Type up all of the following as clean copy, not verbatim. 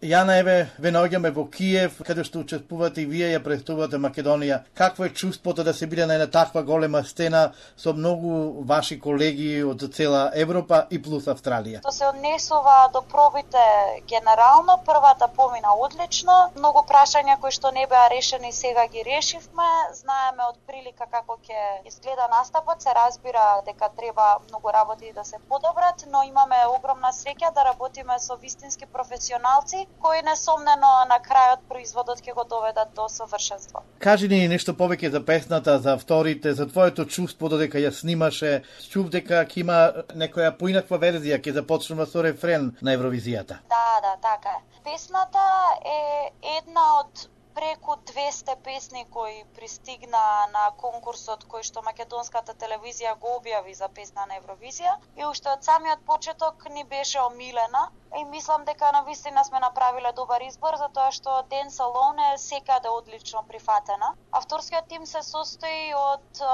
Јана, еве, ве наоѓаме во Киев, каде што учествувате и вие ја представувате Македонија. Какво е чувството да се биде на една таква голема сцена со многу ваши колеги од цела Европа и плюс Австралија? Тоа се однесува до пробите генерално, првата помина одлично, многу прашања кои што не беа решени сега ги решивме, знаеме од прилика како ќе изгледа настапот, се разбира дека треба многу работи да се подобрат, но имаме огромна среќа да работиме со вистински професионалци кои несомнено на крајот производот ќе го доведат до совршенство. Кажи ни нешто повеќе за песната, за авторите, за твоето чувство додека ја снимаше. Чув дека ќе има некоја поинаква верзија, ќе започнува со рефрен на Евровизијата. Да, така е. Песната е една од преку 200 песни кои пристигна на конкурсот кој што македонската телевизија го објави за песна на Евровизија и уште од самиот почеток ни беше омилена и мислам дека навистина сме направиле добар избор затоа што Dance Alone е секаде одлично прифатена. Авторскиот тим се состои од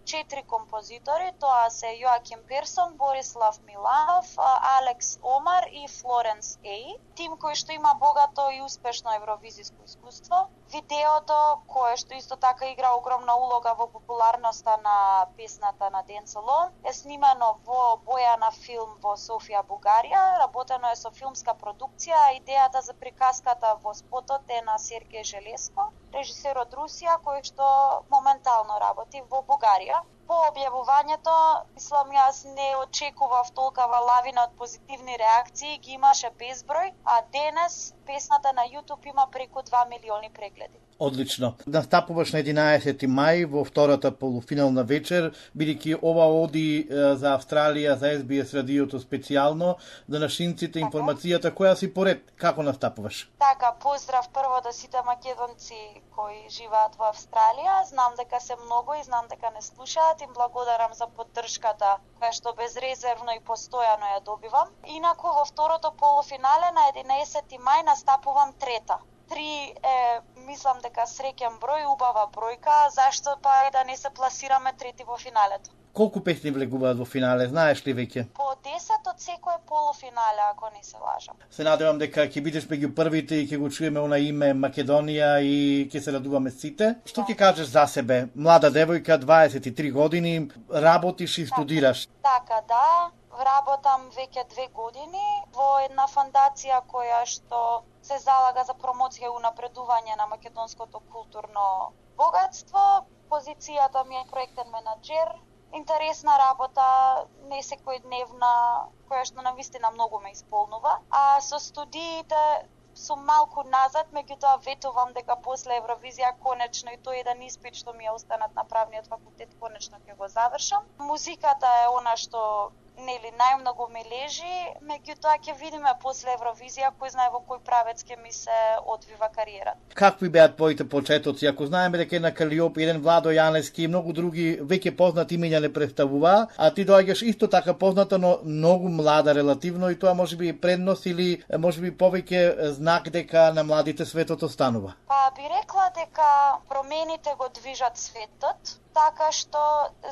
4 композитори, тоа се Јоаким Персон, Борислав Миланов, Алекс Омар и Флоренс Еј. Тим кој што има богато и успешно евровизиско искуство. Видеото, кое што исто така игра огромна улога во популарноста на песната на Dance Alone, е снимано во боја на филм во Софија, Бугарија. Работено е со филмска продукција, а идејата за приказката во спотот е на Сергеј Желеско, режисер од Русија, кој што моментално работи во Бугарија. По објавувањето, мислам јас не очекував толкова лавина од позитивни реакции, ги имаше безброј, а денес песната на YouTube има преку 2 милиони прегледи. Одлично. Настапуваш на 11 мај во втората полуфинална вечер, бидејќи ова оди за Австралија, за SBS радиото специјално, за нашинците информацијата која си поред. Како настапуваш? Така, поздрав прво до сите македонци кои живеат во Австралија. Знам дека се многу и знам дека не слушаат. Им благодарам за поддршката која што безрезервно и постојано ја добивам. Инаку во второто полуфинале на 11 мај настапувам трета. 3 е, мислам дека среќен број, убава бројка, зашто па да не се пласираме трети во финалето. Колку песни влегуваат во финале, знаеш ли веќе? По 10 од секој полуфинале, ако не се лажам. Се надевам дека ќе бидеш меѓу првите и ќе го чуеме она име Македонија и ќе се радуваме сите. Што ќе кажеш за себе? Млада девојка, 23 години, работиш и студираш. Така, да. Работам веќе 2 години во една фондација која што се залага за промоција и унапредување на македонското културно богатство. Позицијата ми е проектен менаџер. Интересна работа, не секојдневна, која што навистина многу ме исполнува. А со студиите сум малку назад, меѓутоа ветувам дека после Евровизија конечно и тој еден испит што ми е останат на правниот факултет конечно ќе го завршам. Музиката е она што нели најмногу ме лежи, меѓутоа ќе видиме после Евровизија кој знае во кој правец ќе ми се одвива кариерата. Какви беа твоите почетоци? Ако знаеме дека на Калиоп, еден Владо Јанески и многу други веќе познати имиња не представуваа, а ти доаѓаш исто така позната, но многу млада релативно и тоа можеби предност или можеби повеќе знак дека на младите светот останува. Па би рекла дека промените го движат светот, така што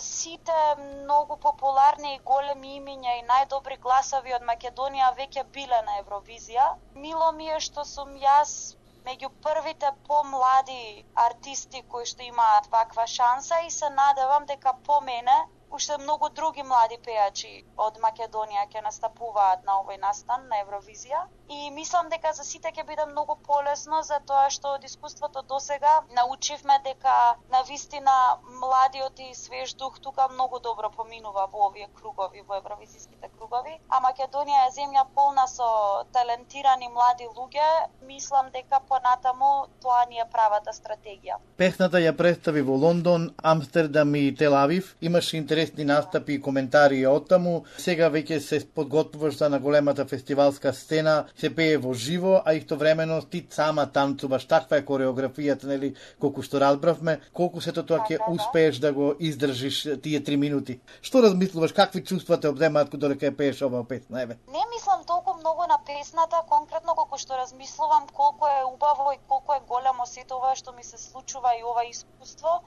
сите многу популарни и големи имиња и најдобри гласови од Македонија веќе биле на Евровизија. Мило ми е што сум јас меѓу првите помлади артисти кои што имаат ваква шанса и се надевам дека по мене уште многу други млади пејачи од Македонија ќе настапуваат на овој настан на Евровизија. И мислам дека за сите ќе биде многу полесно, затоа што од искуството досега научивме дека навистина младиот и свеж дух тука многу добро поминува во овие кругови, во евровизиските кругови. А Македонија е земја полна со талентирани млади луѓе. Мислам дека понатаму тоа ни е правата стратегија. Песната ја представи во Лондон, Амстердам и Тел Авив. Имаше интересни настапи и коментари од таму. Сега веќе се подготвуваш за на големата фестивалска сцена, се пее во живо, а истовремено ти сама танцуваш. Таква е кореографијата, нели, колку што разбравме. Колку сето тоа ќе успееш да го издржиш тие 3 минути? Што размислуваш, какви чувства те обземаат додека ја пееш оваа песна? Еве. Не мислам толку многу на песната, конкретно колку што размислувам колку е убаво и колку е големо сето ова што ми се случува и ова искуство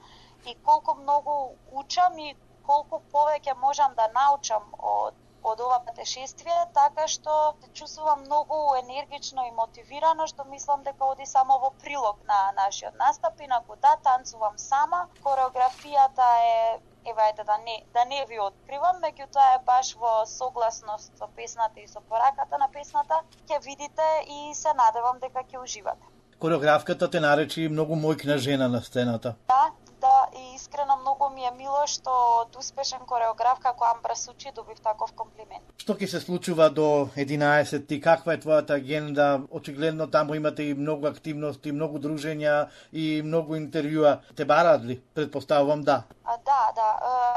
и колку многу учам и колку повеќе можам да научам од од ова патешествие, така што се чувствувам многу енергично и мотивирано, што мислам дека оди само во прилог на нашиот настап. Инаку да, танцувам сама, кореографијата е ајде да не ви откривам, меѓутоа е баш во согласност со песната и со пораката на песната, ќе видите и се надевам дека ќе уживате. Кореографката те наречи многу мојкна жена на сцената. Да, и искрено многу ми е мило што од успешен кореограф како Амбра Сучи добив таков комплимент. Што ќе се случува до 11 и каква е твојата агенда? Очигледно таму имате и многу активности, многу дружења и многу интервјуа. Те бараат ли? Предпоставувам да. Да,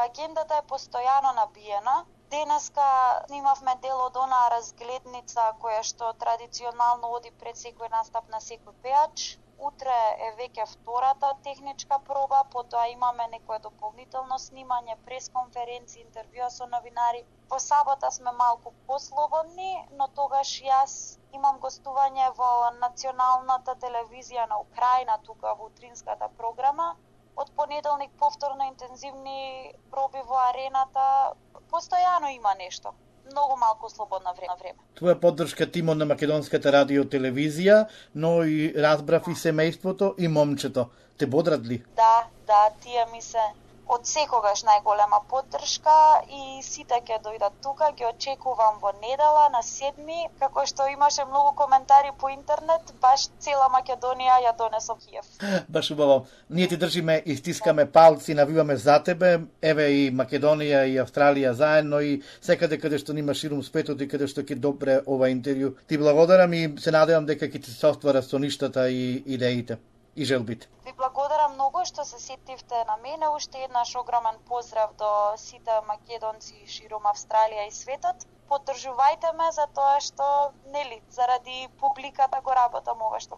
агендата е постојано набиена. Денеска снимавме дел од онаа разгледница која што традиционално оди пред секој настап на секој пеач. Утре е веќе втората техничка проба, потоа имаме некое дополнително снимање, пресконференци, интервјуа со новинари. Во сабота сме малку послободни, но тогаш јас имам гостување во националната телевизија на Украина, тука во утринската програма. Од понеделник повторно интензивни проби во арената. Постојано има нешто. Многу малку слободно време. Твоја поддршка тимот на Македонската радио телевизија, но и разбрав и семејството и момчето. Те бодрат ли? Да, тие ми се од секогаш најголема поддршка и сите ќе дојдат тука, ги очекувам во недела на 7, како што имаше многу коментари по интернет, баш цела Македонија ја донесо Киев. Баш убаво. Ние ти држиме и стискаме палци, навиваме за тебе, еве и Македонија и Австралија заедно и секаде каде што нима ширум светот и каде што ќе добре ова интервју. Ти благодарам и се надевам дека ќе ти се оствара со ништата и идеите и желбите. Ви благодарам многу што се сетивте на мене. Уште еднаш огромен поздрав до сите македонци ширум Австралија и светот. Поддржувајте ме за тоа што, заради публиката го работам ова што